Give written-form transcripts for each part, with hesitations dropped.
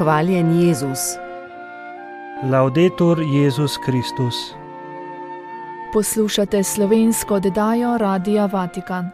Hvaljen Jezus. Laudetur Jezus Kristus. Poslušate slovensko oddajo Radia Vatikan.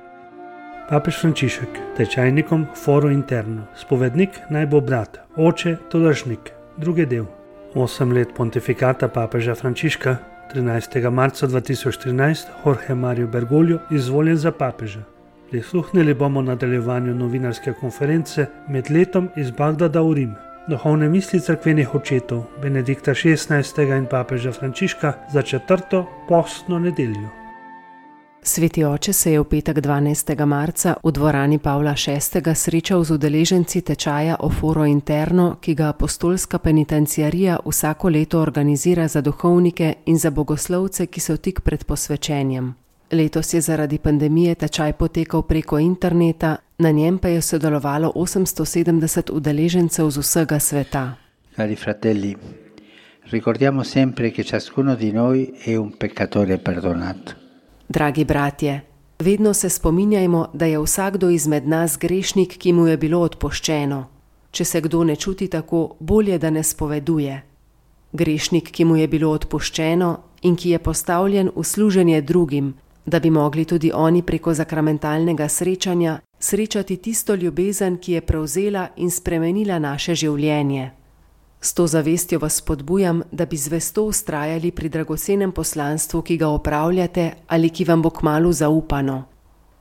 Papež Frančišek, tečajnikom Foro Interno, spovednik naj bo brat, oče tolažnik, drugi del. 8 let pontifikata papeža Frančiška, 13. marca 2013, Jorge Mario Bergoglio izvoljen za papeža. Prisluhnili bomo nadaljevanju novinarske konference med letom iz Bagdada v Rim. Duhovne misli cerkvenih očetov Benedikta XVI. In papeža Frančiška za 4. postno nedeljo. Sveti oče se je v petek 12. marca v dvorani Pavla VI. Srečal z udeleženci tečaja o Foro Interno, ki ga apostolska penitenciarija vsako leto organizira za duhovnike in za bogoslovce, ki so tik pred posvečenjem. Letos je zaradi pandemije tečaj potekal preko interneta, na njem pa je sodelovalo 870 udeležencev z vsega sveta. Cari fratelli, ricordiamo sempre che ciascuno di noi è un peccatore perdonato. Dragi bratje, vedno se spominjajmo, da je vsakdo izmed nas grešnik, ki mu je bilo odpuščeno. Če se kdo ne čuti tako, bolje, da ne spoveduje. Grešnik, ki mu je bilo odpuščeno in ki je postavljen v služenje drugim, da bi mogli tudi oni preko sakramentalnega srečanja srečati tisto ljubezen, ki je prevzela in spremenila naše življenje. S to zavestjo vas spodbujam, da bi zvesto vztrajali pri dragocenem poslanstvu, ki ga opravljate ali ki vam bo kmalu zaupano.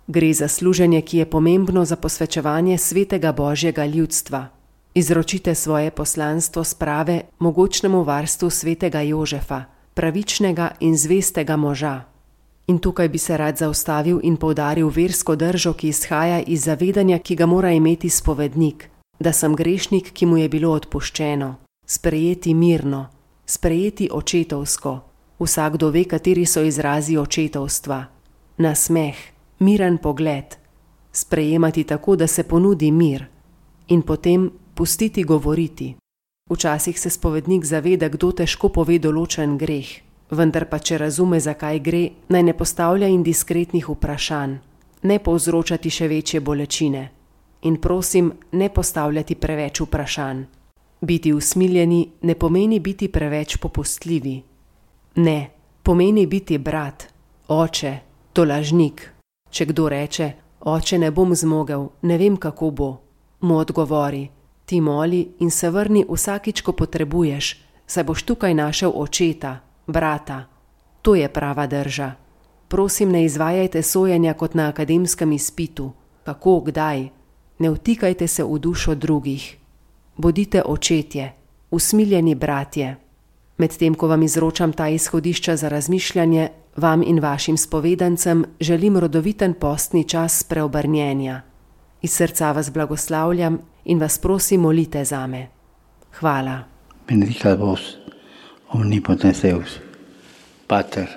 Gre za služenje, ki je pomembno za posvečevanje svetega Božjega ljudstva. Izročite svoje poslanstvo sprave mogočnemu varstvu svetega Jožefa, pravičnega in zvestega moža. In tukaj bi se rad zaustavil in poudaril versko držo, ki izhaja iz zavedanja, ki ga mora imeti spovednik, da sem grešnik, ki mu je bilo odpuščeno. Sprejeti mirno, sprejeti očetovsko. Vsakdo ve, kateri so izrazi očetovstva. Nasmeh, miren pogled. Sprejemati tako, da se ponudi mir. In potem pustiti govoriti. Včasih se spovednik zaveda, kdo težko pove določen greh. Vendar pa, če razume, zakaj gre, naj ne postavlja indiskretnih vprašanj. Ne povzročati še večje bolečine. In prosim, ne postavljati preveč vprašanj. Biti usmiljeni ne pomeni biti preveč popustljivi. Ne, pomeni biti brat, oče, tolažnik. Če kdo reče, oče, ne bom zmogel, ne vem, kako bo, mu odgovori, ti moli in se vrni vsakič, ko potrebuješ, saj boš tukaj našel očeta, brata. To je prava drža. Prosim, ne izvajajte sojenja kot na akademskem izpitu. Kako, kdaj? Ne vtikajte se v dušo drugih. Bodite očetje, usmiljeni bratje. Medtem, ko vam izročam ta izhodišča za razmišljanje, vam in vašim spovedancem želim rodoviten postni čas preobrnjenja. Iz srca vas blagoslavljam in vas prosim, molite zame. Hvala. Benedicat vos, omnipotens Deus, Pater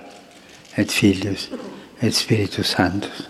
et Filius et Spiritus Sanctus.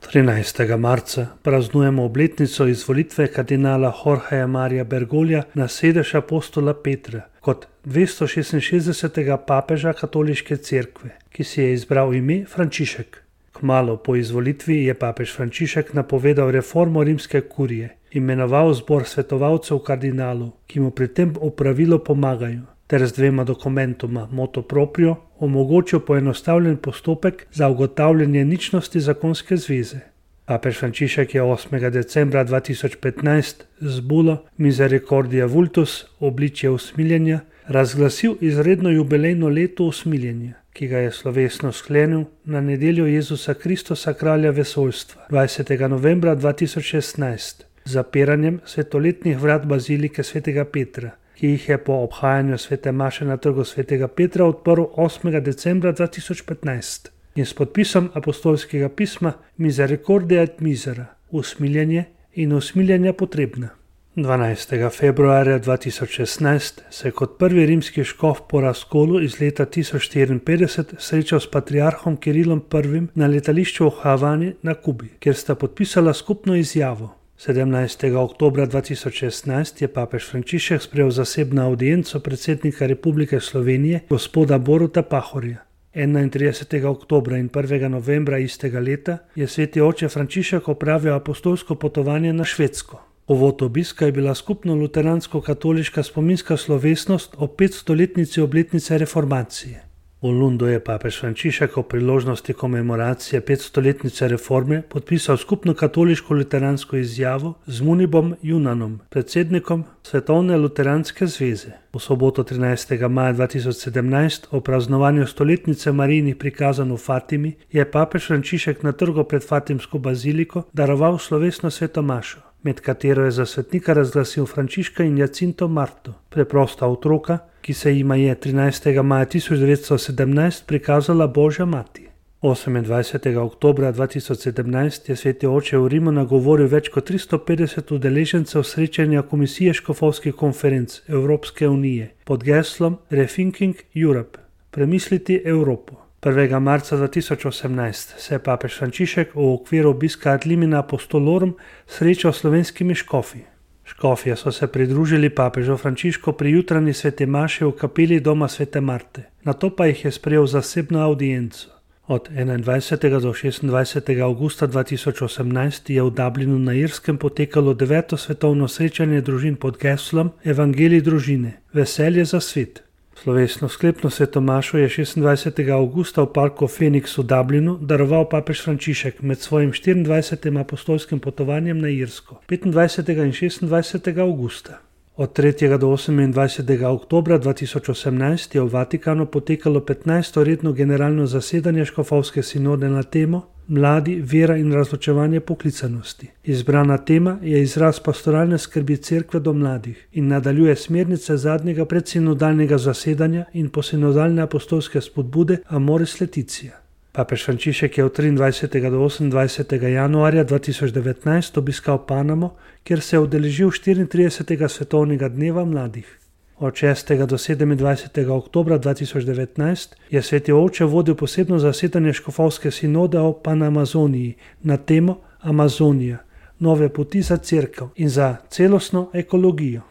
13. marca praznujemo obletnico izvolitve kardinala Jorgeja Maria Bergoglija na sedež apostola Petra kot 266. papeža katoliške cerkve, ki si je izbral ime Frančišek. Kmalu po izvolitvi je papež Frančišek napovedal reformo rimske kurije, imenoval zbor svetovalcev kardinalov, ki mu pri tem v pravilu pomagajo, ter z 2 dokumentoma motu proprio omogočil poenostavljen postopek za ugotavljanje ničnosti zakonske zveze. Papež Frančišek je 8. decembra 2015 z bulo Misericordia Vultus, obličje usmiljenja, razglasil izredno jubilejno leto usmiljenja, ki ga je slovesno sklenil na nedeljo Jezusa Kristusa, kralja vesoljstva, 20. novembra 2016, z zapiranjem svetoletnih vrat bazilike svetega Petra, ki jih je po obhajanju svete maše na trgu svetega Petra odprl 8. decembra 2015 in s podpisom apostolskega pisma Misericordia et Misera, usmiljenje in usmiljenja potrebna. 12. februarja 2016 se je kot prvi rimski škof po razkolu iz leta 1054 srečal s patriarhom Kirilom I. na letališču v Havani na Kubi, kjer sta podpisala skupno izjavo. 17. oktobra 2016 je papež Frančišek sprejel zasebno audienco predsednika Republike Slovenije gospoda Boruta Pahorja. 31. oktobra in 1. novembra istega leta je sveti oče Frančišek opravil apostolsko potovanje na Švedsko. Povod obiska je bila skupno luteransko-katoliška spominska slovesnost o 500-letnici obletnice reformacije. V Lundu je papež Frančišek o priložnosti komemoracije 500-letnice reforme podpisal skupno katoliško-luteransko izjavo z Munibom Junanom, predsednikom Svetovne luteranske zveze. V soboto 13. maja 2017 o praznovanju stoletnice Marijinih prikazanj v Fatimi je papež Frančišek na trgu pred Fatimsko baziliko daroval slovesno sveto mašo, med katero je za svetnika razglasil Frančiška in Jacinto Marto, preprosta otroka, ki se jima je 13. maja 1917 prikazala Božja mati. 28. oktobra 2017 je sveti oče v Rimu nagovoril več kot 350 udeležencev srečanja Komisije škofovskih konferenc Evropske unije pod geslom Rethinking Europe, premisliti Evropo. 1. marca 2018 se je papež Frančišek v okviru obiska ad limina apostolorum srečal s slovenskimi škofi. Škofje so se pridružili papežu Frančišku pri jutranji sveti maši v kapeli doma svete Marte, nato pa jih je sprejel zasebno audienco. Od 21. do 26. avgusta 2018 je v Dublinu na Irskem potekalo 9. svetovno srečanje družin pod geslom Evangelij družine, veselje za svet. Slovesno sklepno svetomašo je 26. avgusta v parku Phoenix v Dublinu daroval papež Frančišek med svojim 24. apostolskim potovanjem na Irsko 25. in 26. avgusta. Od 3. do 28. oktobra 2018 je v Vatikanu potekalo 15. redno generalno zasedanje škofovske sinode na temo Mladi, vera in razločevanje poklicanosti. Izbrana tema je izraz pastoralne skrbi cerkve do mladih in nadaljuje smernice zadnjega predsinodalnega zasedanja in posinodalne apostolske spodbude Amoris Laetitia. Papež Frančišek je od 23. do 28. januarja 2019 obiskal Panamo, kjer se je udeležil 34. svetovnega dneva mladih. Od 6. do 27. oktobra 2019 je sveti oče vodil posebno zasedanje škofovske sinode o Panamazoniji na temo Amazonija, nove poti za cerkev in za celostno ekologijo.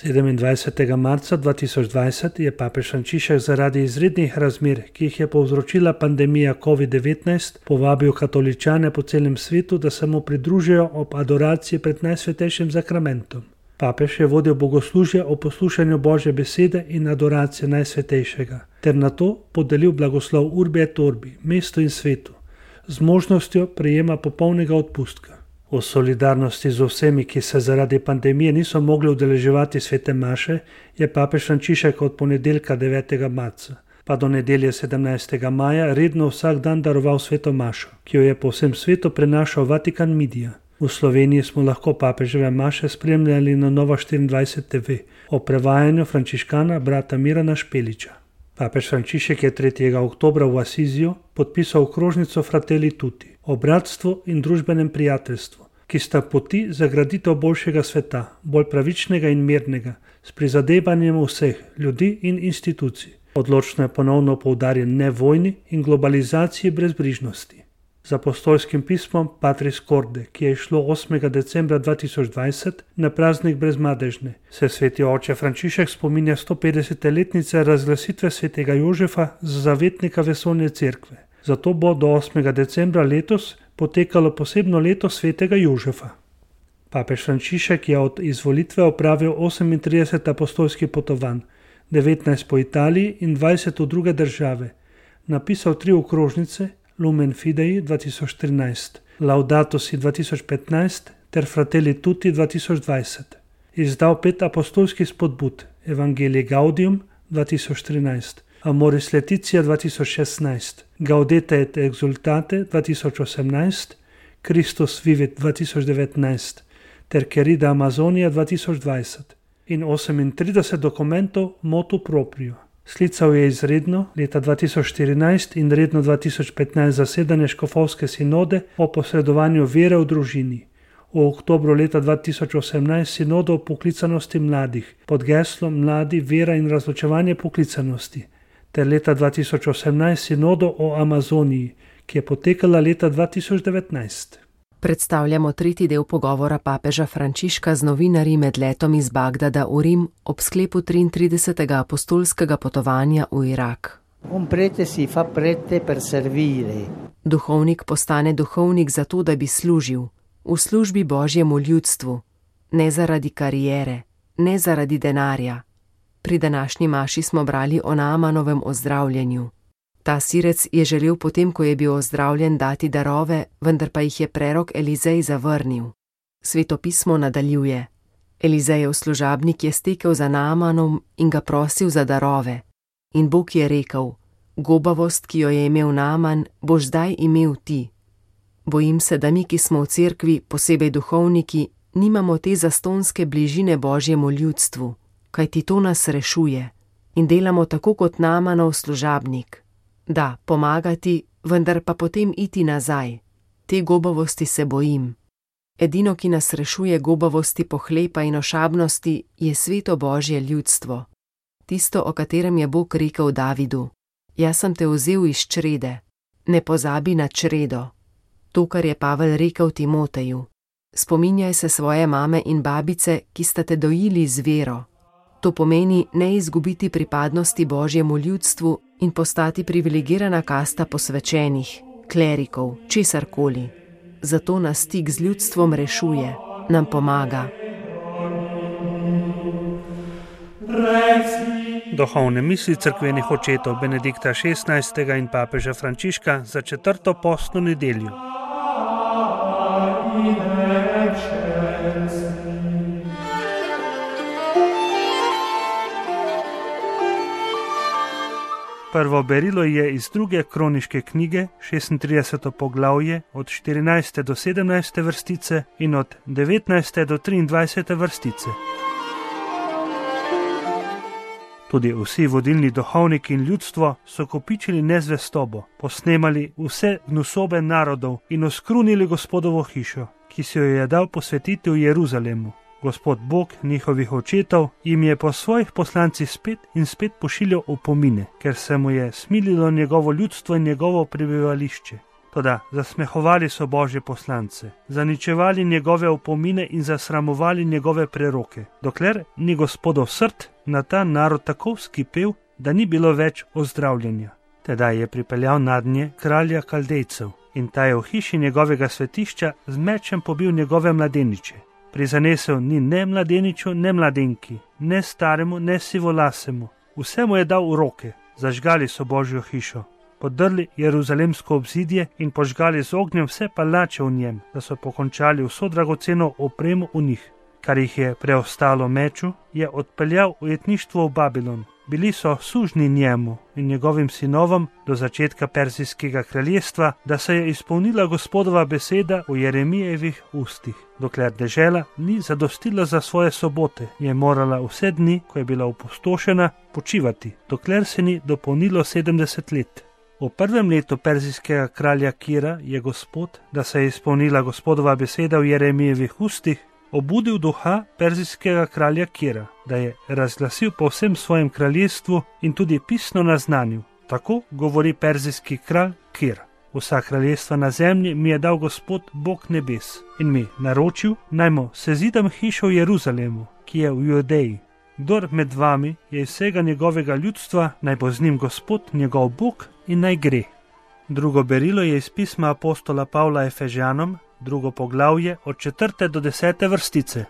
27. marca 2020 je papež Frančišek zaradi izrednih razmer, ki jih je povzročila pandemija COVID-19, povabil katoličane po celem svetu, da se mu pridružijo ob adoraciji pred Najsvetejšim zakramentom. Papež je vodil bogoslužje o poslušanju Božje besede in adoracije Najsvetejšega, ter nato podelil blagoslov Urbi et Orbi, mestu in svetu, z možnostjo prejema popolnega odpustka. V solidarnosti z vsemi, ki se zaradi pandemije niso mogli udeleževati svete maše, je papež Frančišek od ponedeljka 9. marca pa do nedelje 17. maja redno vsak dan daroval sveto mašo, ki jo je po vsem svetu prenašal Vatikan Media. V Sloveniji smo lahko papeževe maše spremljali na Nova 24 TV o prevajanju frančiškana brata Mirana Špeliča. Papež Frančišek je 3. oktobra v Asiziju podpisal okrožnico Fratelli Tutti o bratstvu in družbenem prijateljstvu, ki sta poti za graditev boljšega sveta, bolj pravičnega in mirnega, s prizadevanjem vseh ljudi in institucij. Odločno je ponovno poudarjen ne vojni in globalizaciji brezbrižnosti. Z apostolskim pismom Patris Corde, ki je išlo 8. decembra 2020 na praznik brezmadežne, se sveti oče Frančišek spominja 150-letnice razglasitve svetega Jožefa za zavetnika vesoljne cerkve. Zato bo do 8. decembra letos potekalo posebno leto svetega Jožefa. Papež Frančišek je od izvolitve opravil 38 apostolskih potovanj, 19 po Italiji in 20 v druge države. Napisal 3 okrožnice, Lumen Fidei 2013, Laudato Si 2015 ter Fratelli Tutti 2020. Izdal 5 apostolskih spodbud, Evangelii Gaudium 2013, Amoris Laetitia 2016, Gaudete et Exultate 2018, Christus Vivit 2019 ter Querida Amazonia 2020 in 38 dokumentov motu proprio. Sklical je izredno leta 2014 in redno 2015 zasedanje škofovske sinode o posredovanju vere v družini. V oktobru leta 2018 sinodo o poklicanosti mladih pod geslom Mladi, vera in razločevanje poklicanosti, ter leta 2018 sinodo o Amazoniji, ki je potekala leta 2019. Predstavljamo tretji del pogovora papeža Frančiška z novinarji med letom iz Bagdada v Rim ob sklepu 33. apostolskega potovanja v Irak. Un prete si fa prete per servire. Duhovnik postane duhovnik zato, da bi služil, v službi Božjemu ljudstvu, ne zaradi kariere, ne zaradi denarja. Pri današnji maši smo brali o Naamanovem ozdravljenju. Ta sirec je želel potem, ko je bil ozdravljen, dati darove, vendar pa jih je prerok Elizej zavrnil. Sveto pismo nadaljuje. Elizejev služabnik je stekel za Naamanom in ga prosil za darove. In Bog je rekel, gobavost, ki jo je imel Naaman, boš zdaj imel ti. Bojim se, da mi, ki smo v cerkvi, posebej duhovniki, nimamo te zastonske bližine Božjemu ljudstvu, kajti to nas rešuje in delamo tako kot Naamanov služabnik. Da, pomagati, vendar pa potem iti nazaj. Te gobavosti se bojim. Edino, ki nas rešuje gobavosti, pohlepa in ošabnosti, je sveto Božje ljudstvo. Tisto, o katerem je Bog rekel Davidu. Jaz sem te vzel iz črede. Ne pozabi na čredo. To, kar je Pavel rekel Timoteju. Spominjaj se svoje mame in babice, ki sta te dojili z vero. To pomeni ne izgubiti pripadnosti Božjemu ljudstvu in postati privilegirana kasta posvečenih, klerikov, česarkoli. Zato nas stik z ljudstvom rešuje, nam pomaga. Duhovne misli cerkvenih očetov Benedikta XVI. In papeža Frančiška za 4. postno nedeljo. Prvo berilo je iz 2. kroniške knjige, 36. poglavje, od 14. do 17. vrstice in od 19. do 23. vrstice. Tudi vsi vodilni duhovniki in ljudstvo so kopičili nezvestobo, posnemali vse gnusobe narodov in oskrunili Gospodovo hišo, ki si jo je dal posvetiti v Jeruzalemu. Gospod Bog njihovih očetov jim je po svojih poslancih spet in spet pošiljal opomine, ker se mu je smililo njegovo ljudstvo in njegovo prebivališče. Toda zasmehovali so Božje poslance, zaničevali njegove opomine in zasramovali njegove preroke, dokler ni Gospodov srd na ta narod tako vzkipel, da ni bilo več ozdravljenja. Tedaj je pripeljal nadnje kralja Kaldejcev in ta je v hiši njegovega svetišča z mečem pobil njegove mladeniče. Prizanesel ni ne mladeniču, ne mladenki, ne staremu, ne sivolasemu. Vse mu je dal v roke, zažgali so Božjo hišo. Podrli jeruzalemsko obzidje in požgali z ognjem vse palače v njem, da so pokončali vso dragoceno opremo v njih. Kar jih je preostalo meču, je odpeljal v jetništvo v Babilon. Bili so sužni njemu in njegovim sinovom do začetka Perzijskega kraljestva, da se je izpolnila Gospodova beseda v Jeremijevih ustih. Dokler dežela ni zadostila za svoje sobote, je morala vse dni, ko je bila opustošena, počivati, dokler se ni dopolnilo 70 let. V prvem letu perzijskega kralja Kira je Gospod, da se je izpolnila Gospodova beseda v Jeremijevih ustih, obudil duha perzijskega kralja Kira, da je razglasil po vsem svojem kraljestvu in tudi pisno naznanil. Tako govori perzijski kralj Kir. Vsa kraljestva na zemlji mi je dal Gospod Bog nebes in mi naročil, naj mu sezidam hišo v Jeruzalemu, ki je v Judeji. Kdor med vami je iz vsega njegovega ljudstva, naj bo z njim Gospod njegov Bog in naj gre. Drugo berilo je iz pisma apostola Pavla Efežanom, 2. poglavje od 4. do 10. vrstice.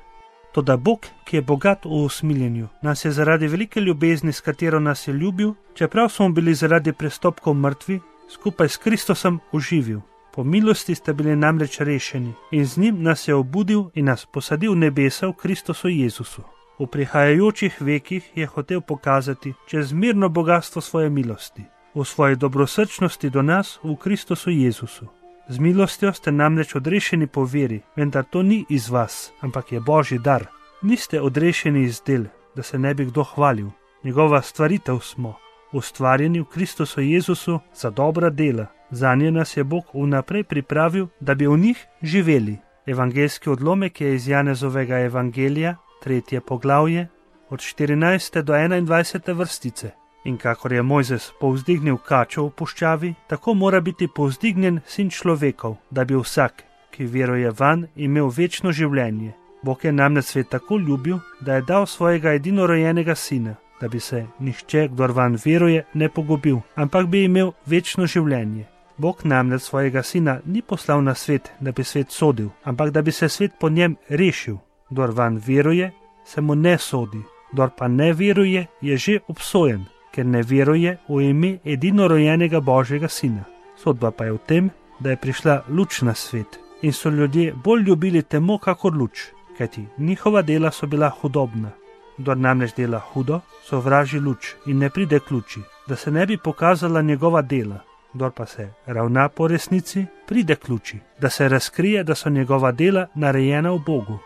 Toda Bog, ki je bogat v usmiljenju, nas je zaradi velike ljubezni, s katero nas je ljubil, čeprav smo bili zaradi prestopkov mrtvi, skupaj s Kristusom oživil. Po milosti ste bili namreč rešeni in z njim nas je obudil in nas posadil v nebesa v Kristusu Jezusu. V prihajajočih vekih je hotel pokazati čezmerno bogatstvo svoje milosti, v svoji dobrosrčnosti do nas v Kristusu Jezusu. Z milostjo ste namreč odrešeni po veri, vendar to ni iz vas, ampak je Božji dar. Niste odrešeni iz del, da se ne bi kdo hvalil. Njegova stvaritev smo, ustvarjeni v Kristusu Jezusu za dobra dela. Zanje nas je Bog vnaprej pripravil, da bi v njih živeli. Evangeljski odlomek je iz Janezovega evangelija, 3. poglavje, od 14. do 21. vrstice. In kakor je Mojzes povzdignil kačo v puščavi, tako mora biti povzdignjen sin človekov, da bi vsak, ki veruje vanj, imel večno življenje. Bog je namreč svet tako ljubil, da je dal svojega edinorojenega sina, da bi se nihče, kdor vanj veruje, ne pogubil, ampak bi imel večno življenje. Bog namreč svojega sina ni poslal na svet, da bi svet sodil, ampak da bi se svet po njem rešil. Kdor van veruje, se mu ne sodi, kdor pa ne veruje, je že obsojen, ker ne veruje v ime edinorojenega Božjega Sina. Sodba pa je v tem, da je prišla luč na svet in so ljudje bolj ljubili temo kakor luč, kajti njihova dela so bila hudobna. Kdor namreč dela hudo, sovraži luč in ne pride k luči, da se ne bi pokazala njegova dela. Kdor pa se ravna po resnici, pride k luči, da se razkrije, da so njegova dela narejena v Bogu.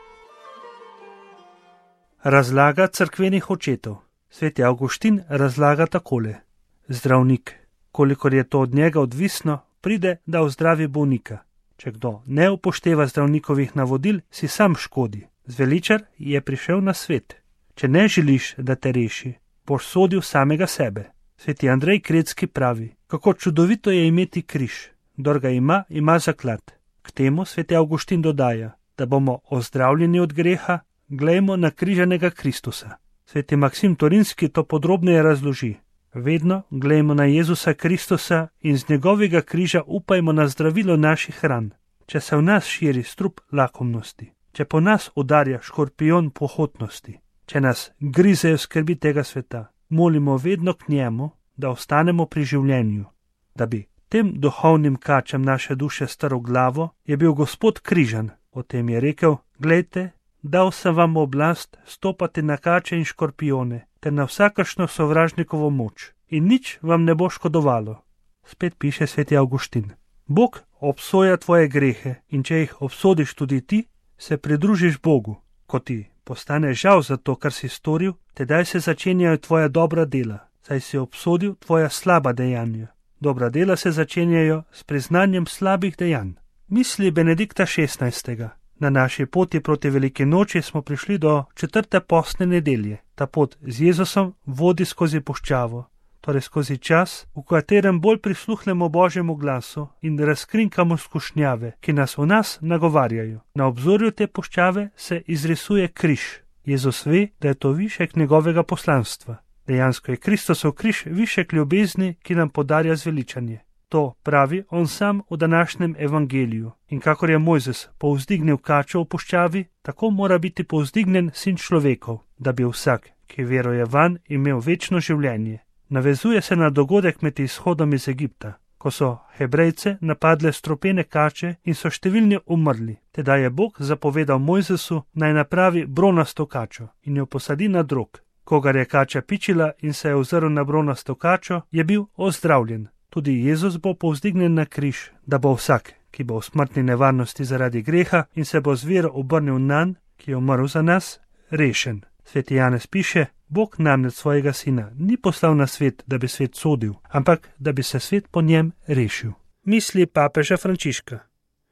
Razlaga cerkvenih očetov. Sveti Avguštin razlaga takole. Zdravnik, kolikor je to od njega odvisno, pride, da ozdravi bolnika. Če kdo ne upošteva zdravnikovih navodil, si sam škodi. Zveličar je prišel na svet. Če ne želiš, da te reši, boš sodil samega sebe. Sveti Andrej Kretski pravi, kako čudovito je imeti križ. Kdor ga ima, ima zaklad. K temu sveti Avguštin dodaja, da bomo ozdravljeni od greha, glejmo na križanega Kristusa. Sveti Maksim Torinski to podrobneje razloži. Vedno glejmo na Jezusa Kristusa in z njegovega križa upajmo na zdravilo naših ran. Če se v nas širi strup lakomnosti, če po nas udarja škorpion pohotnosti, če nas grizejo skrbi tega sveta, molimo vedno k njemu, da ostanemo pri življenju. Da bi tem duhovnim kačem naše duše strl glavo, je bil Gospod križan. O tem je rekel, glejte, dal sem vam oblast stopati na kače in škorpione, ter na vsakršno sovražnikovo moč, in nič vam ne bo škodovalo. Spet piše sveti Avguštin. Bog obsoja tvoje grehe in če jih obsodiš tudi ti, se pridružiš Bogu. Ko ti postane žal za to, kar si storil, tedaj se začenjajo tvoja dobra dela, saj si obsodil tvoja slaba dejanja. Dobra dela se začenjajo s priznanjem slabih dejanj. Misli Benedikta XVI. Na naši poti proti veliki noči smo prišli do 4. postne nedelje. Ta pot z Jezusom vodi skozi puščavo, torej skozi čas, v katerem bolj prisluhnemo Božjemu glasu in razkrinkamo skušnjave, ki nas v nas nagovarjajo. Na obzorju te puščave se izrisuje križ. Jezus ve, da je to višek njegovega poslanstva. Dejansko je Kristusov križ višek ljubezni, ki nam podarja zveličanje. To pravi on sam v današnjem evangeliju. In kakor je Mojzes povzdignil kačo v puščavi, tako mora biti povzdignen Sin človekov, da bi vsak, ki veruje vanj, imel večno življenje. Navezuje se na dogodek med izhodom iz Egipta, ko so Hebrejce napadle stropene kače in so številni umrli. Tedaj je Bog zapovedal Mojzesu, naj napravi bronasto kačo in jo posadi na drog. Kogar je kača pičila in se je ozrl na bronasto kačo, je bil ozdravljen. Tudi Jezus bo povzdignjen na križ, da bo vsak, ki bo v smrtni nevarnosti zaradi greha in se bo z vero obrnil nanj, ki je umrl za nas, rešen. Sveti Janez piše, Bog namreč svojega sina ni poslal na svet, da bi svet sodil, ampak da bi se svet po njem rešil. Misli papeža Frančiška.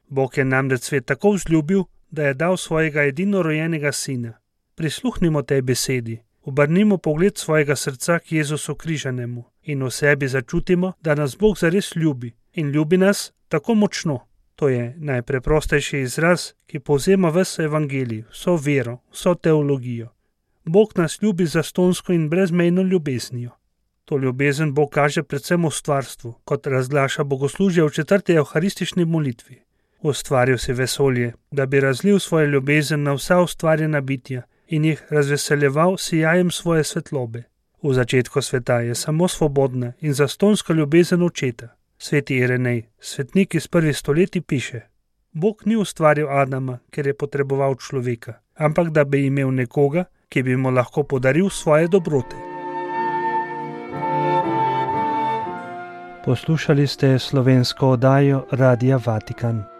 Bog je namreč svet tako vzljubil, da je dal svojega edinorojenega sina. Prisluhnimo tej besedi. Obrnimo pogled svojega srca k Jezusu križanemu in v sebi začutimo, da nas Bog zares ljubi in ljubi nas tako močno. To je najpreprostejši izraz, ki povzema ves evangelij, vso vero, vso teologijo. Bog nas ljubi zastonsko in brezmejno ljubeznijo. To ljubezen Bog kaže predvsem v stvarstvu, kot razglaša bogoslužje v 4. evharistični molitvi. Ustvaril si vesolje, da bi razlil svojo ljubezen na vsa ustvarjena bitja in jih razveseljeval sijajem svoje svetlobe. V začetku sveta je samo svobodna in zastonska ljubezen očeta. Sveti Irenej, svetnik iz prvih stoletij, piše: Bog ni ustvaril Adama, ker je potreboval človeka, ampak da bi imel nekoga, ki bi mu lahko podaril svoje dobrote. Poslušali ste slovensko oddajo Radia Vatikan.